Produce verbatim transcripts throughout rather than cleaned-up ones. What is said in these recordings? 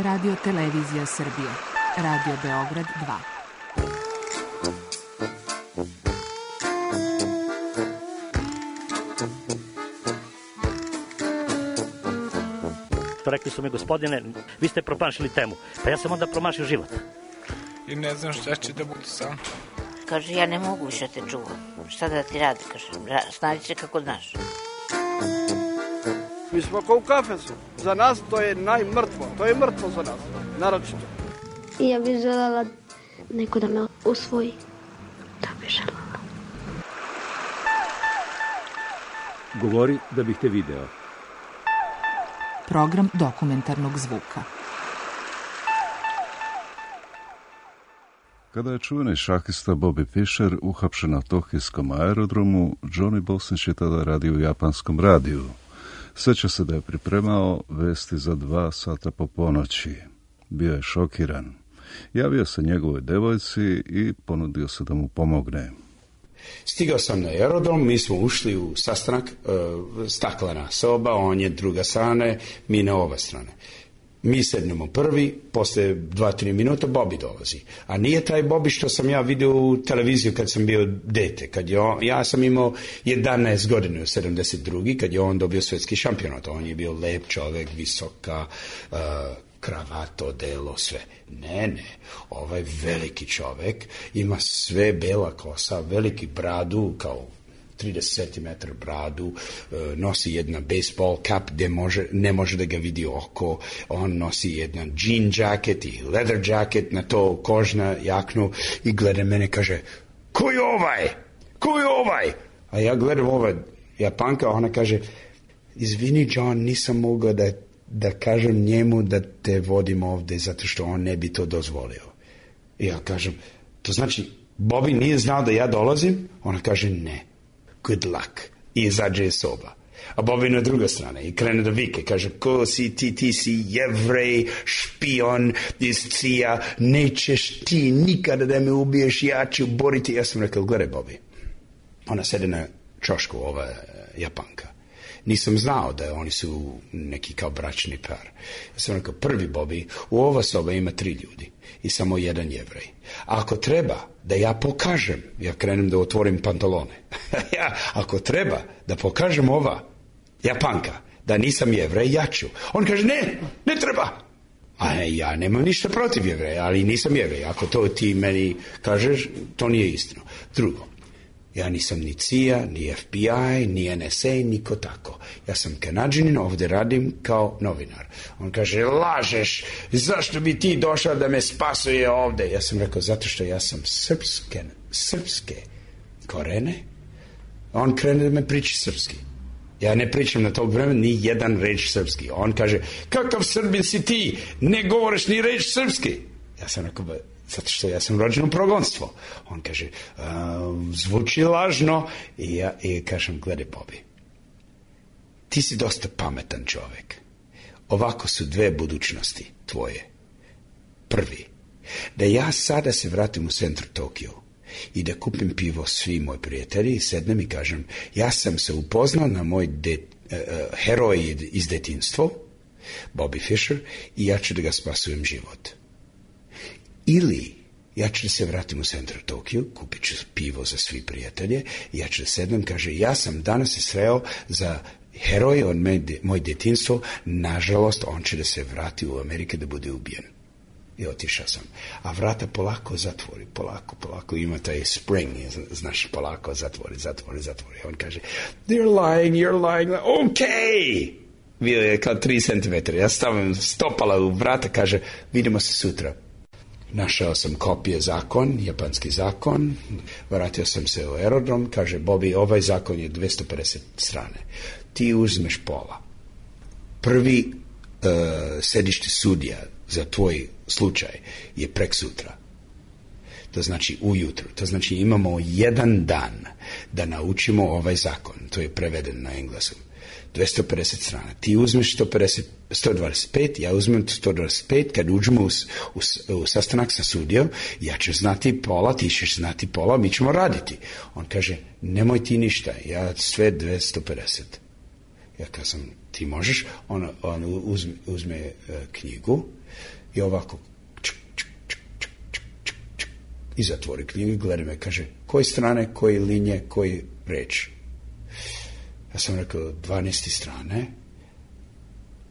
Radio Televizija Srbije. Radio Beograd dva. Rekli su mi, gospodine, vi ste promašili temu. Pa ja sam onda promašio život. I ne znam šta će da bude sam. Kaže, ja ne mogu više te čuvam. Šta da ti radi, kaže, snađi se kako znaš. Mi smo kao u kafesu. Za nas to je najmrtvo. To je mrtvo za nas, naročito. I ja bih želela neko da me usvoji. Da bih želela. Govori da bih te video. Program dokumentarnog zvuka. Kada je čuveni šahista Bobby Fischer uhapšen na tokijskom aerodromu, Johnny Bosnić je tada radio u japanskom radiju. Sjeća se da je pripremao vesti za dva sata po ponoći. Bio je šokiran. Javio se njegovoj devojci i ponudio se da mu pomogne. Stigao sam na aerodrom, mi smo ušli u sastanak, e, staklena soba, on je druga strane, mi na ova strane. Mi sednemo prvi, posle dva, tri minuta Bobby dolazi. A nije taj Bobby što sam ja vidio u televiziju kad sam bio dete. Kad je on, ja sam imao jedanaest godina u sedamdeset drugi kad je on dobio svetski šampionat. On je bio lep čovjek, visoka, uh, kravato, delo, sve. Ne, ne, ovaj veliki čovjek ima sve bela kosa, veliki bradu kao trideset centimetara bradu, nosi jedna baseball cap gdje može, ne može da ga vidi oko, on nosi jedan jean jacket i leather jacket, na to kožna jaknu i gleda mene, kaže, ko je ovaj? Ko je ovaj? A ja gledam ova Japanka, ona kaže, izvini John, nisam mogla da, da kažem njemu da te vodim ovdje zato što on ne bi to dozvolio. I ja kažem, to znači, Bobby nije znao da ja dolazim? Ona kaže, ne. Good luck. I izađe iz soba. A Bobby na druga strane i krene da vike. Kaže, ko si ti, ti si jevrej, špion iz Cija, nećeš ti nikada da me ubiješ, ja ću boriti. Ja sam rekao, gledaj Bobby. Ona sede na čošku, ova Japanka. Nisam znao da oni su neki kao bračni par. Ja sam rekao, prvi Bobby, u ova soba ima tri ljudi i samo jedan jevrej. A ako treba da ja pokažem, ja krenem da otvorim pantalone, ja, ako treba da pokažem ova Japanka da nisam jevrej, ja ću. On kaže, ne, ne treba. A ne, ja nemam ništa protiv jevreja, ali nisam jevrej. Ako to ti meni kažeš, to nije istino. Drugo, ja nisam ni C I A, ni F B I, ni N S A, niko tako. Ja sam Kanadžanin, ovdje radim kao novinar. On kaže, lažeš, zašto bi ti došao da me spasuje ovdje? Ja sam rekao, zato što ja sam srpske, srpske korene. On krene da me priči srpski. Ja ne pričam na tog vremena ni jedan reč srpski. On kaže, kakav Srbin si ti, ne govoriš ni reč srpski. Ja sam rekao, zato što ja sam rođen u progonstvo. On kaže, zvuči lažno. I ja i kažem, gledaj Bobby, ti si dosta pametan čovjek. Ovako su dve budućnosti tvoje. Prvi, da ja sada se vratim u centru Tokio i da kupim pivo svi moji prijatelji i sednem i kažem, ja sam se upoznao na moj de, uh, heroj iz detinjstva, Bobby Fischer, i ja ću da ga spasujem život. Ili ja ću da se vratim u centru Tokio, kupit ću pivo za svi prijatelje i ja ću da sednem, kaže, ja sam danas se sreo za heroj od moj detinjstvo, nažalost on će da se vrati u Ameriku da bude ubijen. I otišao sam. A vrata polako zatvori, polako, polako, ima taj spring, znaš, polako zatvori, zatvori, zatvori. On kaže, they're lying, you're lying, okay! Bio je kao tri centimetra. Ja stavim stopala u vrata, kaže, vidimo se sutra. Našao sam kopije zakon, japanski zakon, vratio sam se u aerodrom, kaže, Bobby, ovaj zakon je dvesta pedeset strane. Ti uzmeš pola. Prvi uh, sedište sudija za tvoj slučaj je prek sutra. To znači ujutru. To znači imamo jedan dan da naučimo ovaj zakon. To je preveden na engleskom. dvesta pedeset strana. Ti uzmeš sto pedeset, sto dvadeset pet, ja uzmem sto dvadeset pet, kad uđemo u, u, u sastanak sa sudijom, ja ću znati pola, ti ćeš znati pola, mi ćemo raditi. On kaže, nemoj ti ništa, ja sve dvesta pedeset. Ja kazam, ti možeš? On, on uzme, uzme uh, knjigu i ovako čuk, čuk, čuk, čuk, čuk, čuk, čuk, i zatvori knjigu i gleda me, kaže, koje strane, koje linije, koji reč? Ja sam rekao, dvanaeste strane,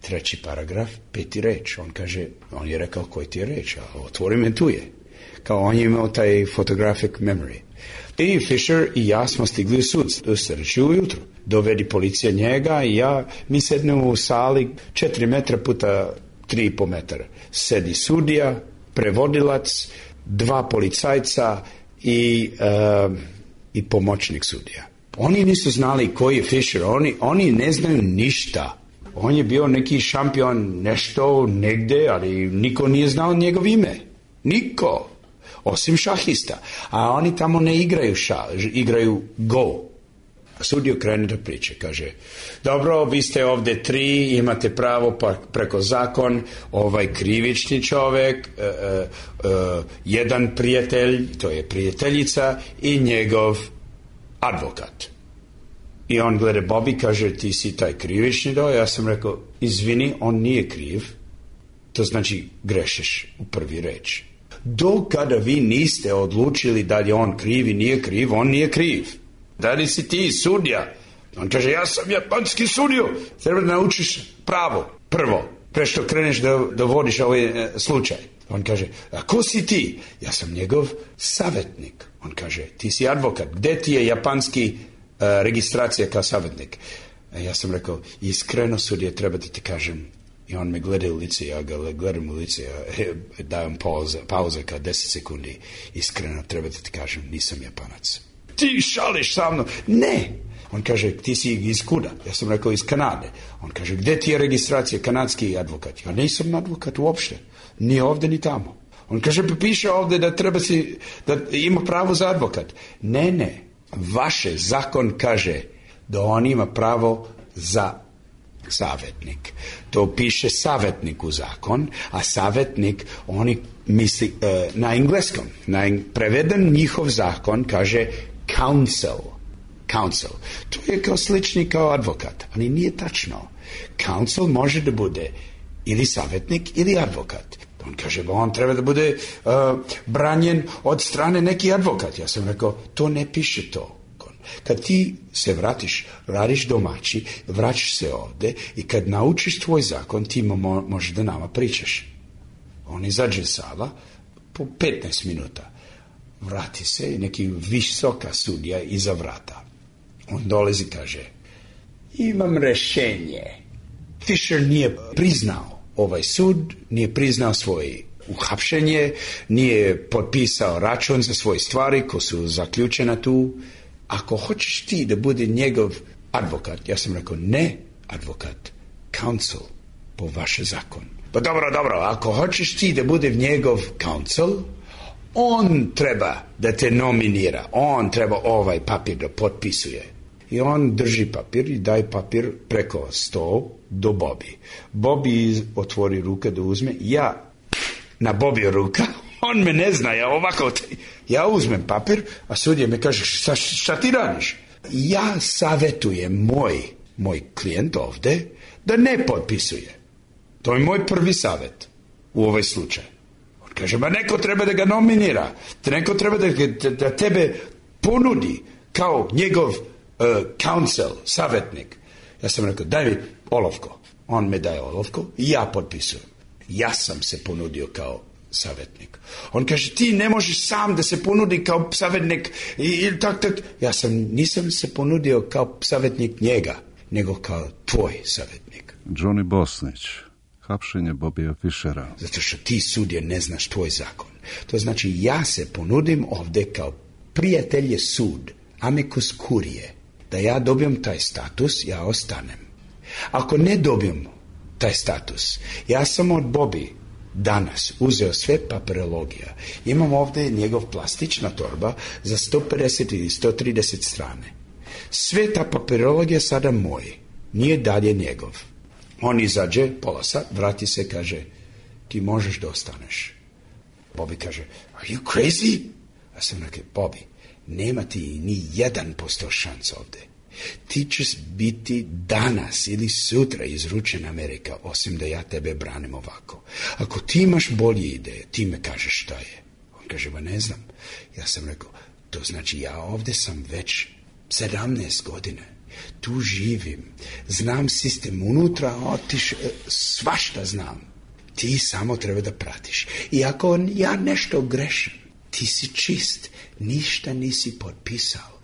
treći paragraf, peti reč. On kaže, on je rekao, koji ti je reč? A otvori me, tu je. Kao on je imao taj photographic memory. I Fisher i ja smo stigli u sud, u sreći ujutru. Dovedi policija njega i ja, mi sednemo u sali četiri metra puta tri i po metra. Sedi sudija, prevodilac, dva policajca i, uh, i pomoćnik sudija. Oni nisu znali koji je Fisher, oni, oni ne znaju ništa. On je bio neki šampion nešto negde, ali niko nije znao njegov ime. Niko. Osim šahista. A oni tamo ne igraju šah, igraju go. Sudio krene da priče, kaže, dobro, vi ste ovde tri, imate pravo pa preko zakon, ovaj krivični čovek, uh, uh, uh, jedan prijatelj, to je prijateljica, i njegov advokat. I on gleda Bobby, kaže, ti si taj krivični do, ja sam rekao, izvini, on nije kriv, to znači grešiš u prvi reč. Do kada vi niste odlučili da je on kriv i nije kriv, on nije kriv. Da li si ti sudija? On kaže, ja sam japanski sudio. Treba da naučiš pravo, prvo, pre što kreneš da, da vodiš ovaj e, slučaj. On kaže, a ko si ti? Ja sam njegov savjetnik. On kaže, ti si advokat. Gde ti je japanski e, registracija kao savjetnik? A ja sam rekao, iskreno sudije, treba da ti kažem. I on me gleda u lice, ja ga gledam u lice, ja dajem pauza, pauza kao deset sekundi. Iskreno, treba da ti kažem, nisam Japanac. Ti šališ sa mnom? Ne! On kaže, ti si iz kuda? Ja sam rekao, iz Kanade. On kaže, gde ti je registracija, kanadski advokat? Ja nisam advokat uopšte. Ni ovde, ni tamo. On kaže, piše ovde da treba si, da ima pravo za advokat. Ne, ne. Vaše zakon kaže da on ima pravo za savjetnik. To piše savjetnik u zakon, a savjetnik, oni misli uh, na engleskom. Na eng- preveden njihov zakon kaže counsel. Counsel. To je kao slični kao advokat, ali nije tačno. Counsel može da bude ili savjetnik ili advokat. On kaže, ba on treba da bude uh, branjen od strane neki advokat. Ja sam rekao, to ne piše to. Kad ti se vratiš, radiš domaći, vraćaš se ovde i kad naučiš tvoj zakon, ti mo- možeš da nama pričaš. On izađe sala po petnaest minuta. Vrati se i neki visoka sudija iza vrata. On dolazi i kaže, imam rešenje. Fisher nije priznao ovaj sud, nije priznao svoje uhapšenje, nije potpisao račun za svoje stvari koje su zaključene tu. Ako hoćeš ti da bude njegov advokat, ja sam rekao, ne advokat, counsel, po vaše zakon. Pa dobro, dobro, ako hoćeš ti da bude njegov counsel, on treba da te nominira, on treba ovaj papir da potpisuje. I on drži papir i daje papir preko sto do Bobby. Bobby otvori ruke da uzme, ja na Bobby ruka, on me ne zna, ja ovako, ja uzmem papir, a sudija me kaže, šta, šta ti radiš? Ja savjetujem moj, moj klijent ovde da ne potpisuje. To je moj prvi savjet u ovaj slučaj. On kaže, ma neko treba da ga nominira, neko treba da, da, da tebe ponudi kao njegov uh, counsel, savjetnik. Ja sam rekao, daj mi olovko. On me daje olovko i ja potpisujem. Ja sam se ponudio kao savjetnik. On kaže, ti ne možeš sam da se ponudi kao savjetnik i, i tak, tak. Ja sam, nisam se ponudio kao savjetnik njega, nego kao tvoj savjetnik. Johnny Bosnić, hapšenje Bobija Fishera. Zato što ti sudje ne znaš tvoj zakon. To znači, ja se ponudim ovde kao prijatelje sud, amicus curiae, da ja dobijem taj status, ja ostanem. Ako ne dobijem taj status, ja sam od Bobby danas uzeo sve papirologija. Imam ovde njegov plastična torba za sto pedeset ili sto trideset strane. Sve ta papirologija sada moj, nije dalje njegov. On izađe, pola sat, vrati se, kaže, ti možeš da ostaneš. Bobby kaže, are you crazy? Ja sam rekao, Bobby, nema ti ni jedan posto šans ovde. Ti ćeš biti danas ili sutra izručen Amerika, osim da ja tebe branim ovako. Ako ti imaš bolje ideje, ti me kažeš šta je. On kaže, ba ne znam. Ja sam rekao, to znači ja ovdje sam već sedamnaest godine. Tu živim. Znam sistem unutra, otiš, svašta znam. Ti samo treba da pratiš. I ako ja nešto grešim, ti si čist. Ništa nisi potpisao.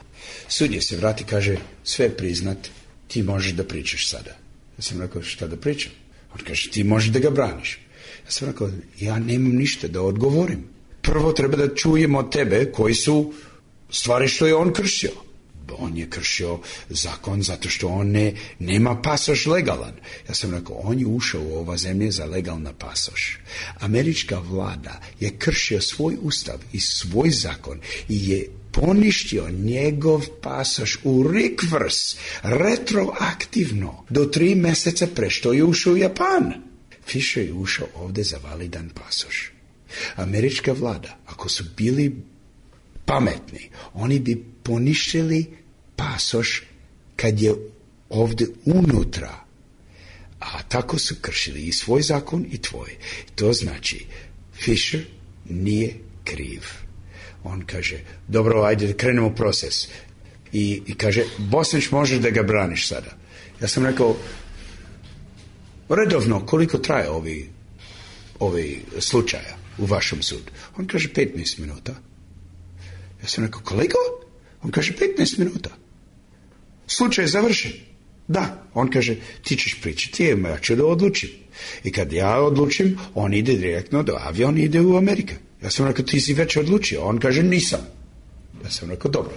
Sudija se vrati, kaže, sve priznat, ti možeš da pričaš sada. Ja sam rekao, šta da pričam? On kaže, ti možeš da ga braniš. Ja sam rekao, ja nemam ništa da odgovorim. Prvo treba da čujem od tebe koji su stvari što je on kršio. On je kršio zakon zato što on ne, nema pasoš legalan. Ja sam rekao, on je ušao u ova zemlje za legalna pasoš. Američka vlada je kršio svoj ustav i svoj zakon i je poništio njegov pasoš u rikvrs, retroaktivno, do tri mjeseca pre što je ušao u Japan. Fisher je ušao ovdje za validan pasoš. Američka vlada, ako su bili pametni, oni bi poništili pasoš kad je ovdje unutra. A tako su kršili i svoj zakon i tvoj. To znači, Fisher nije kriv. On kaže, dobro, ajde, krenemo proces. I, i kaže, Bosnić može da ga braniš sada. Ja sam rekao, redovno, koliko traje ovi, ovi slučaja u vašem sudu? On kaže, petnaest minuta. Ja sam rekao, koliko? On kaže, petnaest minuta. Slučaj je završen. Da. On kaže, ti ćeš pričati, ja ću da odlučim. I kad ja odlučim, on ide direktno do aviona, ide u Ameriku. Ja sam rekao, ti si već odlučio. On kaže, nisam. Ja sam rekao, dobro.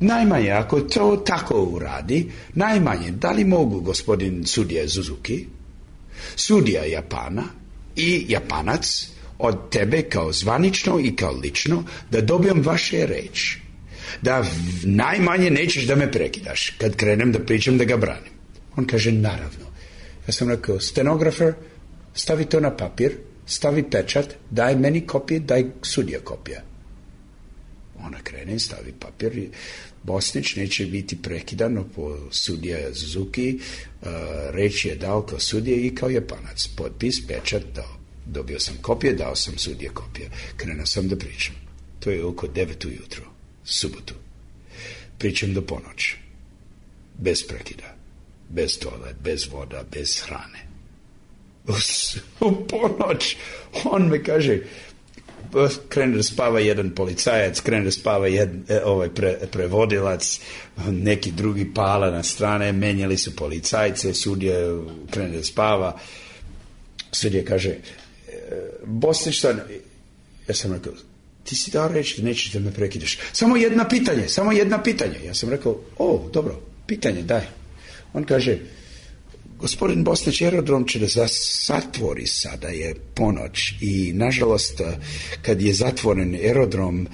Najmanje, ako to tako uradi, najmanje, da li mogu gospodin sudija Suzuki, sudija Japana i Japanac od tebe kao zvanično i kao lično da dobijem vaše reči. Da najmanje nećeš da me prekidaš kad krenem da pričam da ga branim. On kaže, naravno. Ja sam rekao, stenografer, stavi to na papir, stavi pečat, daj meni kopije, daj sudija kopija. Ona krene, stavi papir i Bosnić neće biti prekidan po sudija Suzuki, uh, reč je dao kao sudija i kao Japanac. Potpis, pečat, dao. Dobio sam kopije, dao sam sudije kopije. Krenuo sam da pričam. To je oko devet ujutro, subotu. Pričam do ponoći. Bez prekida. Bez toalet, bez voda, bez hrane. U, u ponoć on me kaže, krene da spava jedan policajac, krene da spava jedan, ovaj pre, prevodilac, neki drugi pala na strane, menjali su policajce, sudija krene da spava. Sudija kaže, Bosnić, ja sam rekao, ti si dao reći da nećeš da me prekidaš. Samo jedna pitanje, samo jedna pitanje. Ja sam rekao, o, dobro, pitanje, daj. On kaže, gospodin Bosnić, aerodrom će da zatvori sada, je ponoć i nažalost kad je zatvoren aerodrom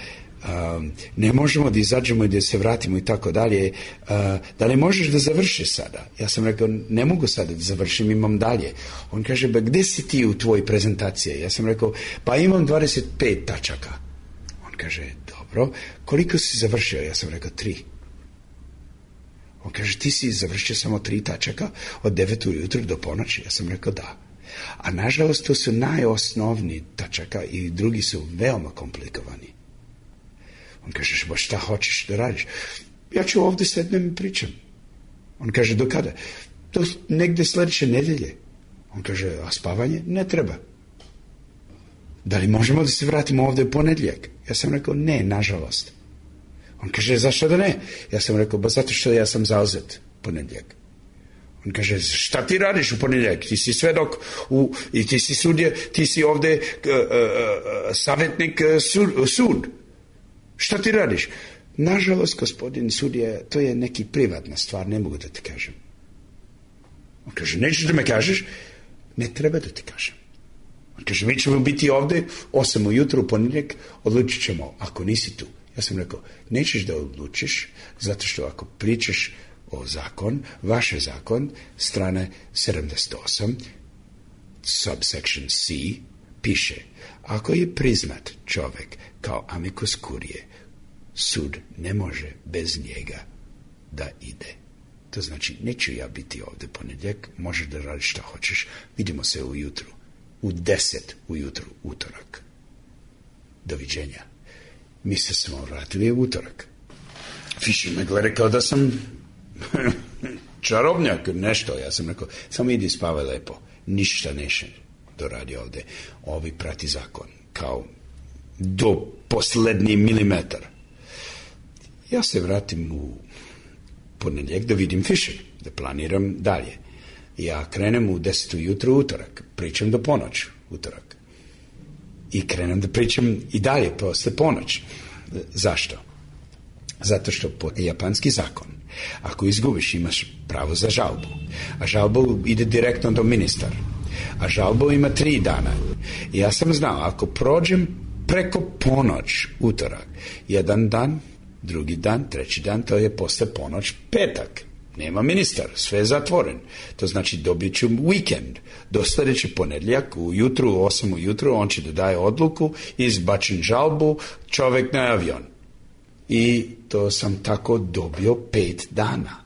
ne možemo da izađemo i da se vratimo i tako dalje. Da li možeš da završiš sada? Ja sam rekao, ne mogu sada da završim, imam dalje. On kaže, ba gde si ti u tvojoj prezentaciji? Ja sam rekao, pa imam dvadeset pet tačaka. On kaže, dobro, koliko si završio? Ja sam rekao, tri. On kaže, ti si završio samo tri tačaka od devet ujutro do ponoći? Ja sam rekao, da. A nažalost, to su najosnovniji tačaka i drugi su veoma komplikovani. On kaže, ba šta hoćeš da radiš? Ja ću ovdje sednem i pričam. On kaže, do kada? Do negde sljedeće nedelje. On kaže, a spavanje? Ne treba. Da li možemo da se vratimo ovdje u ponedjeljak? Ja sam rekao, ne, nažalost. On kaže, zašto da ne? Ja sam rekao, ba zato što ja sam zauzet ponedjeljak. On kaže, šta ti radiš u ponedjeljak? Ti si svedok u, i ti si sudje, ti si ovdje uh, uh, uh, savjetnik uh, sud, sud. Šta ti radiš? Nažalost, gospodin sudija, to je neki privatna stvar, ne mogu da ti kažem. On kaže, nećeš da me kažeš? Ne treba da ti kažem. On kaže, mi ćemo biti ovdje osam ujutro u ponedjeljak, odlučit ćemo, ako nisi tu. Ja sam rekao, nećeš da odlučiš, zato što ako pričaš o zakon, vaš zakon, strane sedamdeset osam, subsection C, piše, ako je priznat čovjek kao amicus curiae, sud ne može bez njega da ide. To znači, neću ja biti ovdje ponedjeljak, možeš da radiš šta hoćeš, vidimo se ujutru, u deset ujutru, utorak. Doviđenja. Mi se smo vratili u utorak. Fisher me gleda kao da sam čarobnjak, nešto. Ja sam rekao, samo idi spavaj lepo, ništa neše doradi ovdje. Ovi prati zakon, kao do posljednji milimetar. Ja se vratim u ponedjeljak da vidim Fisher, da planiram dalje. Ja krenem u deset ujutru utorak, pričam do ponoć utorak. I krenem da pričam i dalje posle ponoć. Zašto? Zato što po japanski zakon, ako izgubiš imaš pravo za žalbu, a žalbu ide direktno do ministara, a žalbu ima tri dana. I ja sam znao, ako prođem preko ponoć utorak, jedan dan, drugi dan, treći dan, to je posle ponoć petak. Nema ministar, sve je zatvoren. To znači dobit ću vikend. Do sljedeći ponedjeljak, ujutru, u osam ujutru, on će da daje odluku, izbačen žalbu, čovjek na avion. I to sam tako dobio pet dana.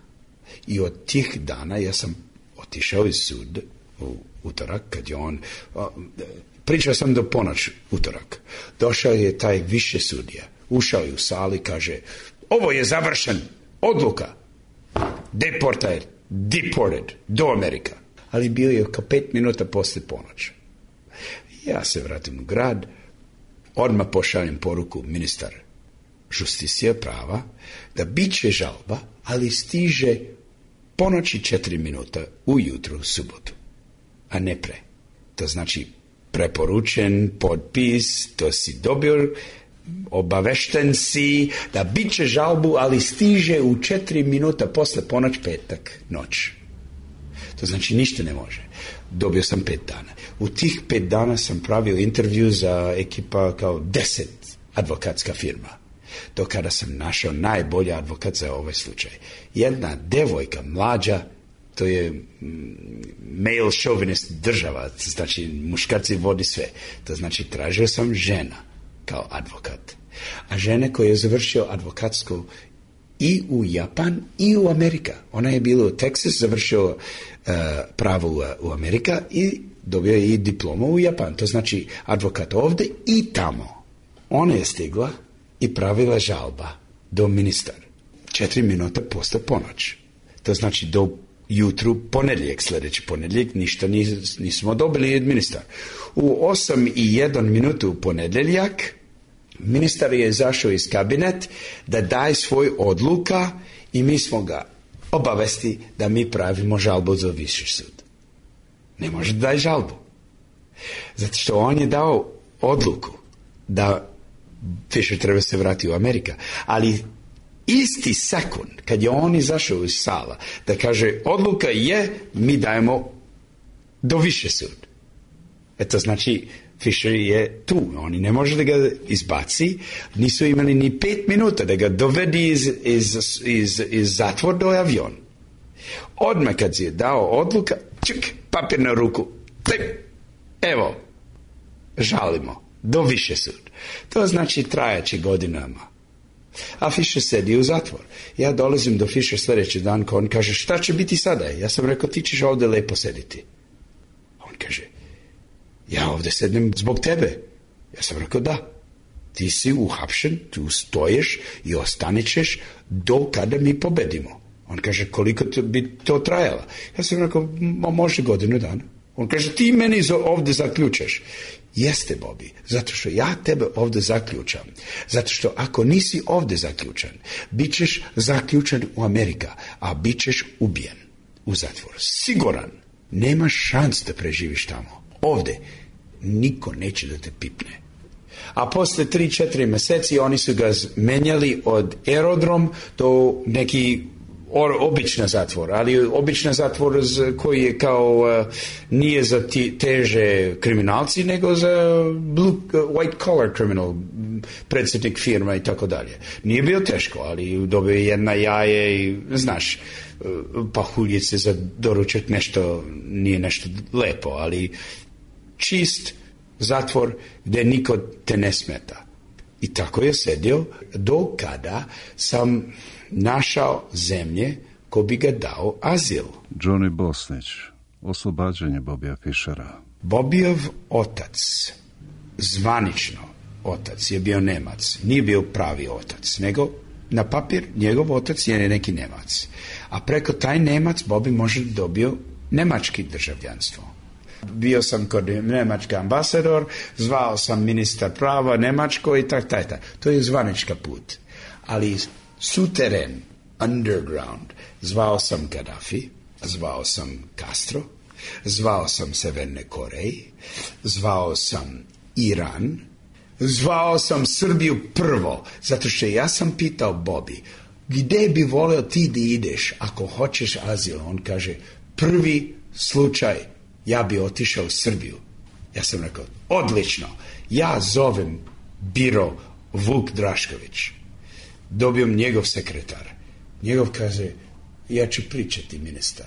I od tih dana ja sam otišao iz sud u utorak, kad je on... Pričao sam do ponoć utorak. Došao je taj više sudija. Ušao je u sali, kaže, ovo je završen, odluka. Deported, deported, do Amerika. Ali bio je kao pet minuta poslije ponoć. Ja se vratim u grad, odmah pošaljem poruku ministar justicija prava, da bit će žalba, ali stiže ponoći četiri minuta ujutru u subotu, a ne pre. To znači preporučen, potpis, to si dobio, obavešten si da bit će žalbu, ali stiže u četiri minuta posle ponoć petak noć. To znači ništa ne može. Dobio sam pet dana. U tih pet dana sam pravio intervju za ekipa kao deset advokatska firma. Do kada sam našao najbolji advokat za ovaj slučaj. Jedna devojka mlađa, to je male chauvinist država, znači muškarci vodi sve. To znači tražio sam žena kao advokat. A žene koja je završio advokatsku i u Japan i u Amerika. Ona je bila u Texas, završio uh, pravo u, u Amerika i dobio je i diplomu u Japan. To znači advokat ovdje i tamo. Ona je stigla i pravila žalba do ministar. Četiri minuta posle ponoć. To znači do jutru ponedjeljak, sljedeći ponedjeljak, ništa nis, nismo dobili od ministar. U osam i jedan minutu u ponedjeljak ministar je izašao iz kabinet da daje svoj odluka i mi smo ga obavesti da mi pravimo žalbu za viši sud. Ne može da daje žalbu. Zato što on je dao odluku da Fisher treba se vratiti u Amerika. Ali isti sekund, kad je on izašao iz sala, da kaže odluka je, mi dajemo do više sud. Eto znači Fisher je tu, oni ne može da ga izbaci, nisu imali ni pet minuta da ga dovedi iz, iz, iz, iz zatvor do avion. Odmah kad si je dao odluka, čuk, papir na ruku, tip, evo, žalimo, do više sud. To znači trajaće godinama. A Fisher sedi u zatvor. Ja dolazim do Fisher sljedeći dan, ko on kaže, šta će biti sada? Ja sam rekao, ti ćeš ovdje lepo sediti. On kaže, ja ovdje sednem zbog tebe. Ja sam rekao, da. Ti si uhapšen, tu stoješ i ostanećeš do kada mi pobedimo. On kaže, koliko to bi to trajalo? Ja sam rekao, može godinu dana. On kaže, ti meni ovdje zaključaš. Jeste, Bobby, zato što ja tebe ovdje zaključam. Zato što ako nisi ovdje zaključan, bit ćeš zaključan u Amerika, a bit ćeš ubijen u zatvor. Siguran, nemaš šans da preživiš tamo. Ovdje niko neće da te pipne. A posle tri četiri mjeseci oni su ga menjali od aerodrom do neki obična zatvor, ali obična zatvor koji je kao uh, nije za ti, teže kriminalci, nego za blue, uh, white collar criminal, predsjednik firma i tako dalje. Nije bio teško, ali dobio jedna jaje i, znaš, uh, pahuljice za doručak, nešto, nije nešto lepo, ali čist zatvor gdje niko te ne smeta. I tako je sedio do kada sam našao zemlje ko bi ga dao azil. Johnny Bosnić, oslobađanje Bobija Fišera. Bobijov otac, zvanično otac, je bio Nemac. Nije bio pravi otac, nego na papir njegov otac je neki Nemac. A preko taj Nemac Bobi može dobio nemački državljanstvo. Bio sam kod nemački ambasador, zvao sam ministar prava Nemačko i tak, tak, tak. To je zvanička put. Ali suteren, underground, zvao sam Gaddafi, zvao sam Castro, zvao sam Severne Koreji, zvao sam Iran, zvao sam Srbiju prvo, zato što ja sam pitao Bobi, gde bi voleo ti da ideš ako hoćeš azil? On kaže, prvi slučaj, ja bi otišao u Srbiju. Ja sam rekao, odlično, ja zovem biro Vuk Drašković. Dobijem njegov sekretar. Njegov kaže, ja ću pričati, ministar.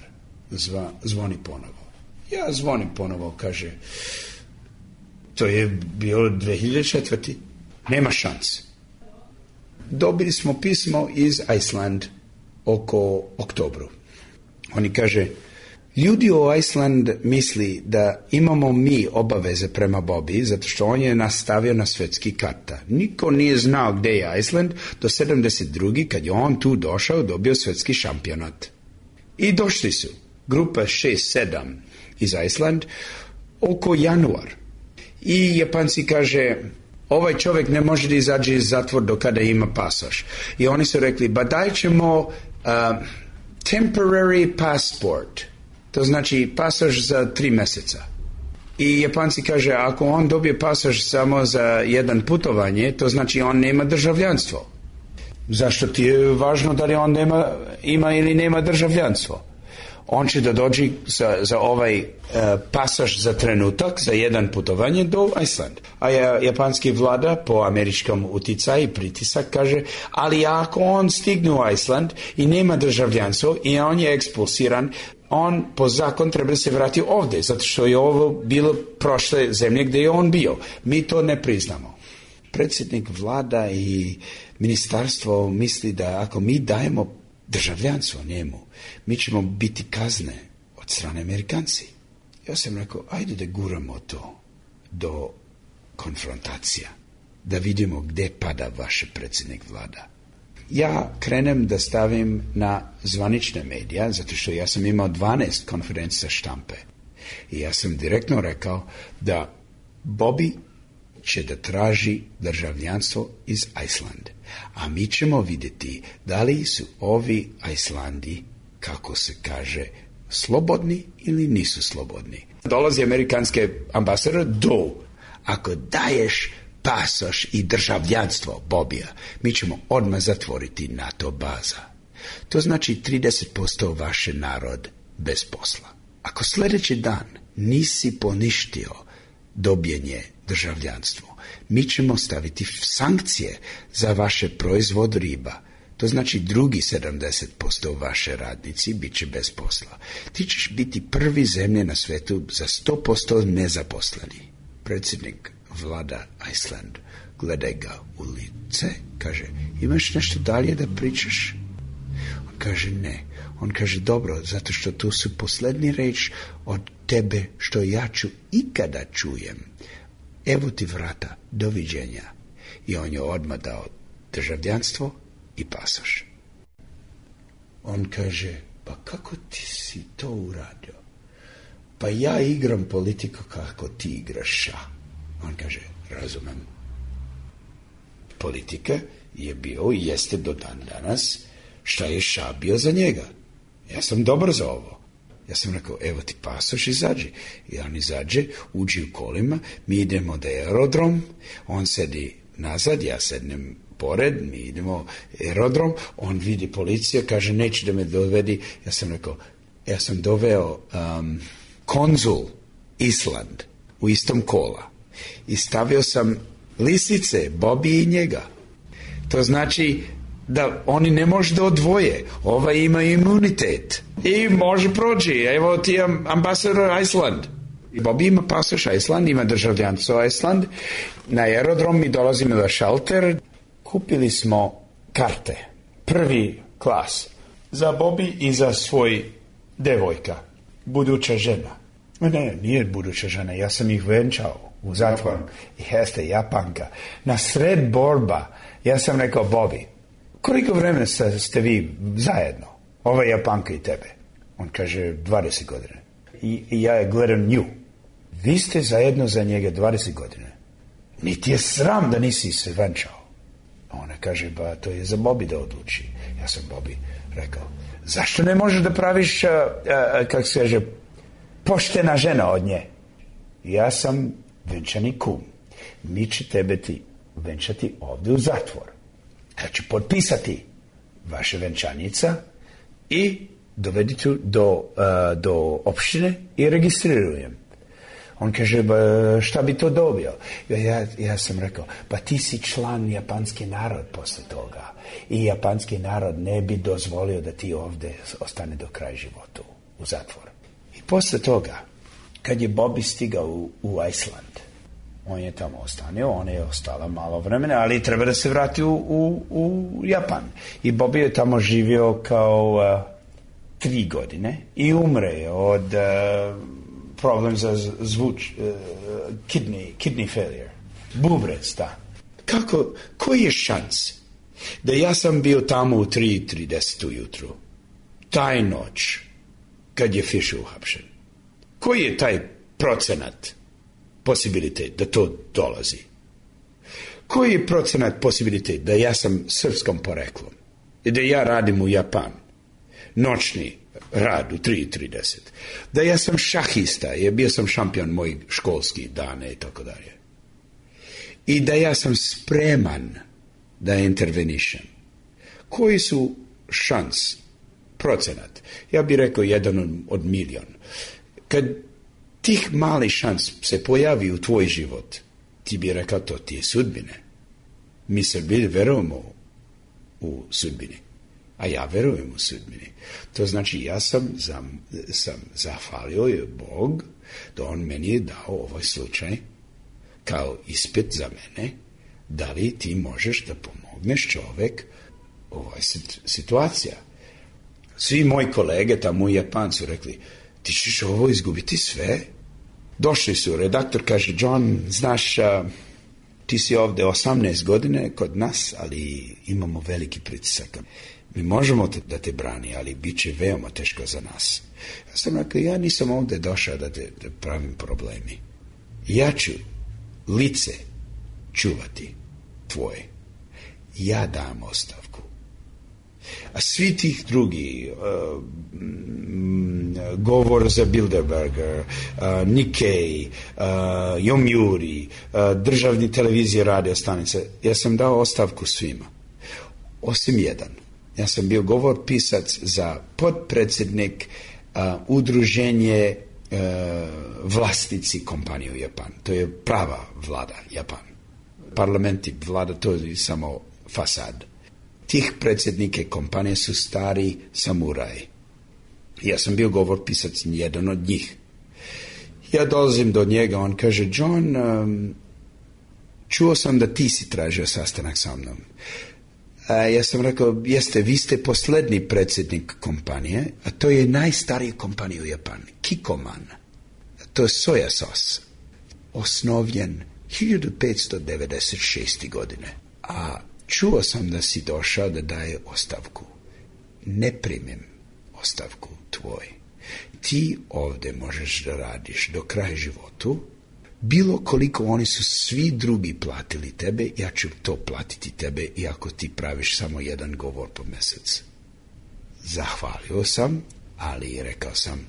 Zva, zvoni ponovo. Ja zvonim ponovo, kaže, to je bilo dve hiljade četvrte. Nema šans. Dobili smo pismo iz Iceland oko oktobru. Oni kaže, ljudi u Iceland misli da imamo mi obaveze prema Bobi, zato što on je nastavio na svetski karta. Niko nije znao gde je Iceland do sedamdeset druge kad je on tu došao, dobio svetski šampionat. I došli su, grupa šest sedam iz Iceland, oko januar. I Japanci kaže, ovaj čovjek ne može da izađe iz zatvor do kada ima pasoš. I oni su rekli, ba daj ćemo uh, temporary passport. To znači pasoš za tri mjeseca. I Japanci kaže, ako on dobije pasoš samo za jedan putovanje, to znači on nema državljanstvo. Zašto ti je važno da li on nema, ima ili nema državljanstvo? On će da dođe za, za ovaj uh, pasoš za trenutak, za jedan putovanje do Iceland. A ja, japanski vlada po američkom uticaju i pritisak kaže, ali ako on stigne u Iceland i nema državljanstvo i on je ekspulsiran, on po zakon treba se vrati ovdje, zato što je ovo bilo prošle zemlje gdje je on bio. Mi to ne priznamo. Predsjednik vlada i ministarstvo misli da ako mi dajemo državljanstvo njemu, mi ćemo biti kazne od strane Amerikanci. Ja sam rekao, ajde da guramo to do konfrontacija, da vidimo gdje pada vaš predsjednik vlada. Ja krenem da stavim na zvanične medija, zato što ja sam imao dvanaest konferencija štampe. I ja sam direktno rekao da Bobi će da traži državljanstvo iz Iceland. A mi ćemo vidjeti da li su ovi Islandi, kako se kaže, slobodni ili nisu slobodni. Dolazi amerikanski ambasador, do, ako daješ pasoš i državljanstvo Bobija, mi ćemo odmah zatvoriti NATO baza. To znači trideset posto vaše narod bez posla. Ako sljedeći dan nisi poništio dobijenje državljanstvo, mi ćemo staviti sankcije za vaše proizvod riba. To znači drugi sedamdeset posto vaše radnici bit će bez posla. Ti ćeš biti prvi zemlje na svetu za sto posto nezaposleni. Predsjednik vlada Iceland gleda ga u lice, kaže, imaš nešto dalje da pričaš? On kaže, ne. On kaže, dobro, zato što tu su posljednji reč od tebe što ja ću ikada čujem. Evo ti vrata, doviđenja. I on je odmah dao državljanstvo i pasoš. On kaže, pa kako ti si to uradio? Pa ja igram politiku kako ti igraš ša. On kaže, razumem. Politika je bio i jeste do dan danas šta je ša bio za njega. Ja sam dobar za ovo. Ja sam rekao, evo ti pasoš, izađi. I on izađe, uđi u kolima, mi idemo da je aerodrom, on sedi nazad, ja sednem pored, mi idemo aerodrom, on vidi policija, kaže, neće da me dovedi. Ja sam rekao, ja sam doveo um, konzul Island u istom kola i stavio sam lisice, Bobi i njega. To znači da oni ne može da odvoje. Ova ima imunitet i može proći. Evo ti ambasador Iceland. Bobi ima pasoš Iceland, ima državljanstvo Iceland. Na aerodrom mi dolazimo na šalter. Kupili smo karte. Prvi klas. Za Bobby i za svoj devojka. Buduća žena. Ne, nije buduća žena. Ja sam ih venčao u zatvoru. Jeste, Japanka. Na sred borba, ja sam rekao, Bobby, koliko vremena ste vi zajedno? Ova Japanka i tebe. On kaže, dvadeset godina. I, i ja gledam nju. Vi ste zajedno za njega dvadeset godina. Niti je sram da nisi se venčao. Ona kaže, ba, to je za Bobby da odluči. Ja sam Bobby rekao, zašto ne možeš da praviš, a, a, kako se kaže, poštena žena od nje? Ja sam venčani kum. Mi će tebe ti venčati ovdje u zatvor. Ja ću potpisati vaše venčanica i dovediti do, uh, do opštine i registrirujem. On kaže, ba, šta bi to dobio? Ja, ja sam rekao, pa ti si član japanski narod posle toga. I japanski narod ne bi dozvolio da ti ovdje ostane do kraja života u zatvoru. I posle toga, kad je Bobby stigao u, u Island, on je tamo ostanio, on je ostala malo vremena, ali treba da se vrati u, u, u Japan. I Bobby je tamo živio kao uh, tri godine i umre od uh, problem za zvuč, uh, kidney, kidney failure. Bubrec, da. Kako, koji je šans da ja sam bio tamo u tri trideset ujutru, taj noć, kad je Fisher uhapšen? Koji je taj procenat posibilitet da to dolazi? Koji je procenat posibilitet da ja sam srpskom poreklom i da ja radim u Japan, noćni rad u tri trideset, da ja sam šahista, jer bio sam šampion mojih školskih dana i tako dalje, i da ja sam spreman da intervenišem? Koji su šans, procenat? Ja bih rekao jedan od milion. Kad tih mali šans se pojavi u tvoj život, ti bi rekao, to ti je sudbine. Mi Srbi verujemo u sudbini, a ja verujem u sudbini. To znači, ja sam, za, sam zahvalio je Bog da on meni je dao ovaj slučaj kao ispit za mene, da li ti možeš da pomogneš čovek u ovoj situacija. Svi moji kolege tamo u Japanu su rekli, ti ćeš ovo izgubiti sve. Došli su, redaktor kaže, John, znaš, a, ti si ovdje osamnaest godine kod nas, ali imamo veliki pritisak. Mi možemo te, da te brani, ali bit će veoma teško za nas. Ja sam rekao, ja nisam ovdje došao da te da pravim problemi. Ja ću lice čuvati tvoje. Ja dam ostavku. A svi tih drugi, uh, govor za Bilderberger, uh, Nikkei, uh, Yomiuri, uh, državni televizije, radio stanice, ja sam dao ostavku svima. Osim jedan. Ja sam bio govor pisac za podpredsjednik uh, udruženje uh, vlasnici kompanije u Japan. To je prava vlada Japan. Parlamenti vlada, to je samo fasad. Tih predsjednike kompanije su stari samuraji. Ja sam bio govor pisac jedan od njih. Ja dolazim do njega, on kaže, John, um, čuo sam da ti si tražio sastanak sa mnom. A ja sam rekao, jeste, vi ste posljednji predsjednik kompanije, a to je najstarija kompanija u Japanu, Kikkoman. To je soja sos. Osnovljen hiljadu petsto devedeset šeste. godine. A čuo sam da si došao da daje ostavku. Ne primim ostavku tvoj. Ti ovdje možeš da radiš do kraja životu. Bilo koliko oni su svi drugi platili tebe, ja ću to platiti tebe, iako ti praviš samo jedan govor po mjesec. Zahvalio sam, ali rekao sam,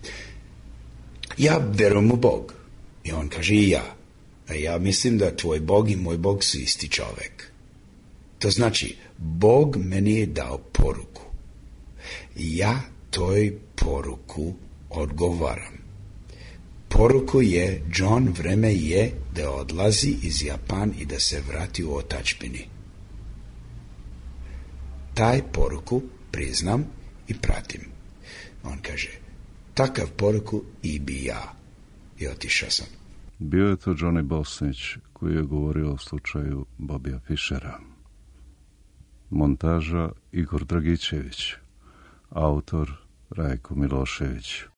ja verujem u Bog. I on kaže, i ja. A ja mislim da tvoj Bog i moj Bog su isti čovjek. To znači, Bog meni je dao poruku. Ja toj poruku odgovaram. Poruku je, John, vreme je da odlazi iz Japan i da se vrati u otačbini. Taj poruku priznam i pratim. On kaže, takav poruku i bi ja. I otišao sam. Bio je to Johnny Bosnić koji je govorio o slučaju Bobija Fishera. Montaža Igor Dragičević, autor Rajko Milošević.